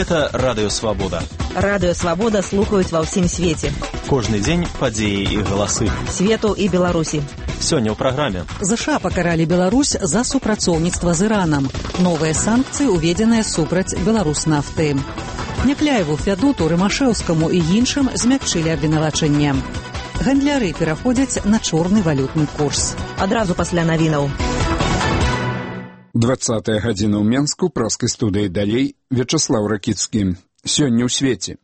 Гэта Радыё Свабода. Радыё Свабода слухаюць ва ўсім свеце. Кожны дзень падзеі і галасы. Свету і Беларусі. Сёння ў праграме. ЗША пакаралі Беларусь за супрацоўніцтва з Іранам. Новыя санкцыі уведзеныя супраць Беларуснафты. Някляеву, Фядоту, Рымашэўскаму і іншым змякчылі абвінавачанне. Гандляры пераходзяць на чорны валютны курс. Адразу пасля навінаў. 20-я гадзіна ў Менску, праскай студыі далей, Вячаслаў Ракіцкі. Сёння ў свеце.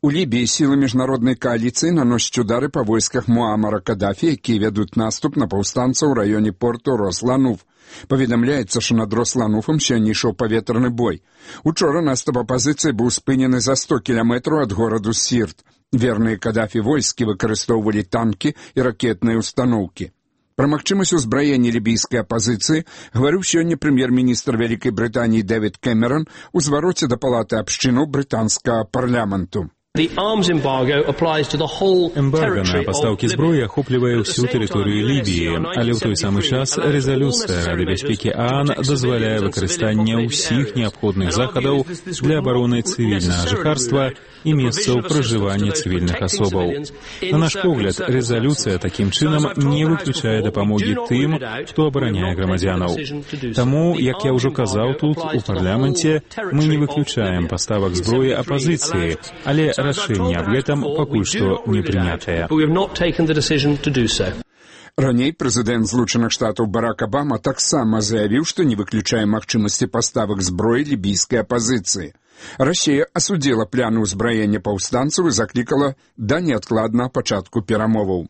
У Лібіі сілы міжнароднай кааліцыі наносяць удары па войсках Муамара Кадафі, якія вядуць наступ на паўстанцаў у раёне порту Рослануф. Паведамляецца, што над Рослануфам сёння ішоў паветраны бой. Учора наступ апазіцыі быў спынены за 100 кіламетраў ад гораду Сірт. Верныя Кадафі войскі выкарыстоўвалі танкі і ракетныя устаноўкі. Пра магчымасць узбраення лібійскай апазіцыі гаварыў сёння прэм'ер-міністр Вялікай Брытаніі Дэвід Кэмерон у звароце да палаты абшчынаў брытанскага парламенту. Эмбарго на пастаўкі зброі ахоплівае ўсю тэрыторыю Лібіі, але ў той самы час рэзалюцыя Рады бяспекі ААН дазваляе выкарыстанне ўсіх неабходных захадаў для абароны цывільнага жыхарства і месцаў пражывання цывільных асобаў. На наш погляд, рэзалюцыя такім чынам не выключае дапамогі тым, хто абараняе грамадзянаў. Таму, як я ўжо казаў тут, у парламенце, мы не выключаем паставак зброі апазіцыі, але рашэнне аб гэтым пакуль што не прынятае. Раней прэзідэнт Злучаных Штатаў Барак Абама таксама заявіў, што не выключае магчымасці паставак зброі лібійскай апазіцыі. Расія асудзіла пляны ўзбраення паўстанцаў і заклікала да неадкладнага пачатку перамоваў.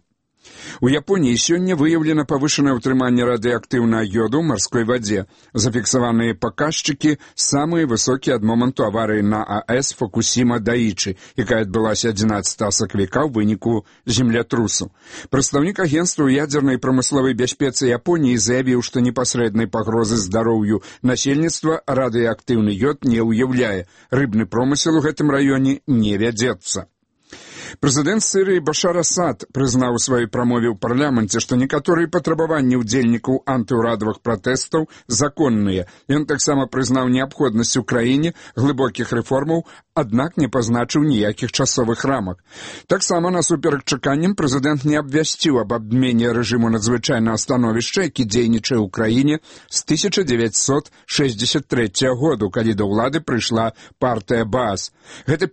У Японіі сёння выяўлена павышанае ўтрыманне радыеактыўнага йоду ў марской вадзе. Зафіксаваныя паказчыкі самыя высокія ад моманту аварыі на АЭС Фукусіма-Даічы, якая адбылася 11 сакавіка ў выніку землятрусу. Прадстаўнік агенцтва ў ядзернай прамысловай бяспецы Японіі заявіў, што непасрэднай пагрозы здароўю насельніцтва радыеактыўны йод не ўяўляе. Рыбны промысел у гэтым раёне не вядзецца. Прэзідэнт Сірыі Башар Асад прызнаў у сваёй прамове ў парламенце, што некаторыя патрабаванні ўдзельнікаў антыўрадавых пратэстаў законныя. Ён таксама прызнаў неабходнасць у краіне глыбокіх рэформаў, аднак не пазначыў ніякіх часовых рамак. Таксама насуперак чаканням прэзідэнт не абвясціў аб абмене рэжыму надзвычайнага становішча, які дзейнічае ў краіне з 1963 году, калі да ўлады прыйшла партыя Баас. Гэта